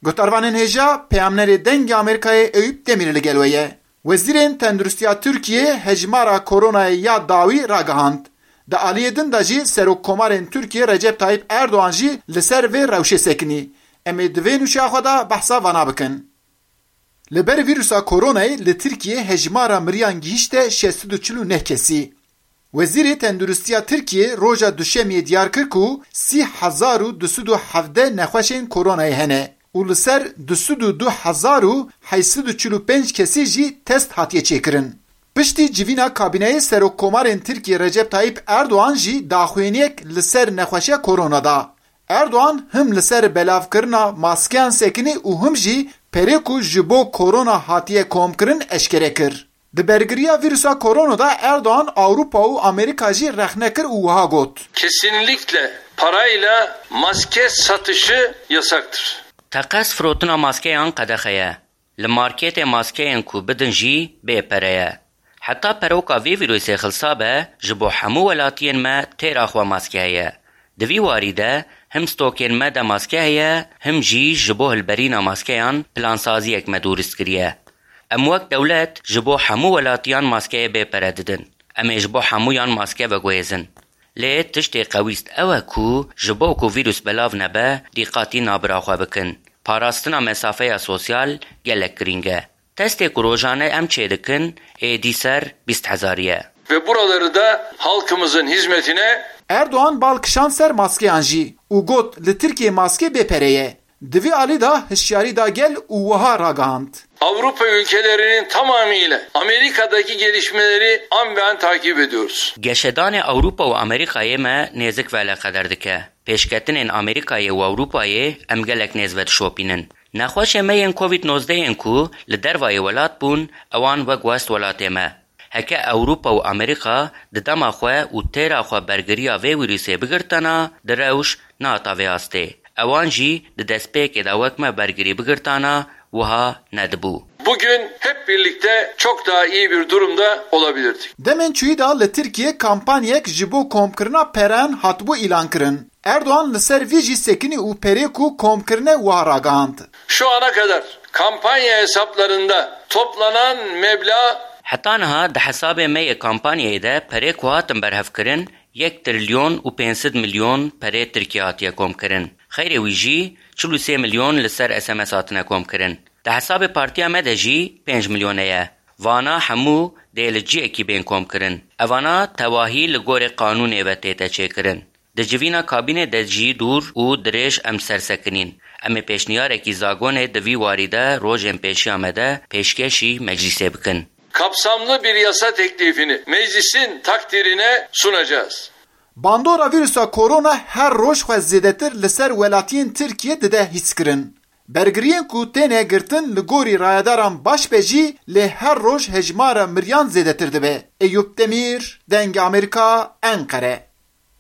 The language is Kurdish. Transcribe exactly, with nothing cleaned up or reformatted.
Guhdarvanên hêja, peyamnerê Dengê Amerîkayê Eyûp Demîr li gel we ye. Wezîrên Tenduristiya Tirkiyê hejmara koronayê ya dawî ragihand. Di aliyê din de jî Serokkomarên Tirkiyê Recep Tayyip Erdoğan jî li ser vê rewşê sekinî. Em ê di vê nûçeya xwe de behsa vana bikin. Li ber vîrusa koronayê li Tirkiyê hejmara miriyan gihîşte şeş sed û çil û neh kesî. Wezîrê Tenduristiya Tirkiyê roja Duşemiyê diyar kir ku sî hezar û du sed û hevdeh nexweşên koronayê hene û li ser du sed û du hezar û heyt sed û çil û pênc kesî jî test hatiye çêkirin. Piştî civîna kabîneyê Serokkomarên Tirkiyê Recep Tayyip Erdoğan jî daxuyaniyek li ser nexweşiya korona da. Erdoğan him li ser belavkirina maskeyan sekinî û him jî perê ku ji bo korona hatiye komkirin eşkere kir. Di bergiriya vîrusa korona de Erdoğan Ewropa û Amerîka jî rexne kir û wiha got. Kesinlikle parayla maske satışı yasaktır. Teqez firotina maskeyan qedexe ye. Li marketê maskeyên ku bidin jî bê pere ye. Heta peroka vê vîrusê xilsa be, ji bo hemû welatiyên me têra xwe maske heye. Di vî warî de him stokên me de maske heye, him jî ji bo hilberîna maskeyan plansaziyek me durist kiriye. Em wek dewlet ji bo hemû welatiyan maskeyê bê pere didin. Em ê ji bo hemûyan maske veguhêzin. Lê tiştê qewîst ew e ku ji bo ku vîrus belav nebe, dîqatî nabira xwe bikin. Parastina mesafeya sosyal gelek girîng e. Testê ku rojane em çêdikin, êdî ser bîst hezarî ye. Ve buraları da halkımızın hizmetine Erdoğan bal kişand ser maskeyan jî û got, li Tirkiyê maske bê pere ye. Di vî alî de hişyarî da gel û wiha ragihand. Avrupa ülkelerinin tamamıyla Amerika'daki gelişmeleri an be an takip ediyoruz. Geşedanê Ewropa û Amerîkayê me nêzik veleqeder dike. Pêşketinên Amerîkayê û Ewropayê em gelek nêz ve dişopînin. Nexweşê me yên covid nozdeh yên ku li dervayê welat bûn, ewan wek west welatê me. Heke Ewropa û Amerîka di dema xwe û têra xwe bergiriya vê wîrusê bigirtana, di rewş nehata vê astê. Ewan jî di destpêkê de wek me bergirî bigirtana, wiha nedibû. Bugün hep birlikte çok daha iyi bir durumda olabilirdik. Demên çûyî de li Tirkiyê kampanyek ji bo komkirina pereyan hatibû îlankirin. Erdoğan li ser vî jî sekinî û perê ku komkirine wiha ragihand. Şu ana kadar kampanya hesaplarında toplanan meblağ Heta niha di hesabê me yê kampanyayê de perê ku hatin berhevkirin, yek trilyon û pênc sed milyon perê Tirkiye hatiye komkirin. Xeyrê wî jî çil û sê milyon li ser S M S hatine komkirin. Di hesabê partiya me de jî pênc milyone ye. Vana hemû dê li ciyekî bên komkirin. Evana tewahî li gorê qanûnê ve tête çêkirin. Di civîna kabînê de jî dûr û dirêj em sersekinîn. Em ê pêşniyarekî zagonê di vî warî de rojên pêşiya me de pêşkêşî meclîsê bikin. Kapsamlı bir yasa teklifini meclisin takdirine sunacağız. Bandora vîrusa korona her roj xwe zêdetir li ser welatiyên Tirkiye dide hîskirin. Bergiriyên ku têne girtin li gorî rayedaran baş be jî, lê her roj hejmara miriyan zêdetir dibe. Eyûp Demîr, Dengê Amerîka, Enqere.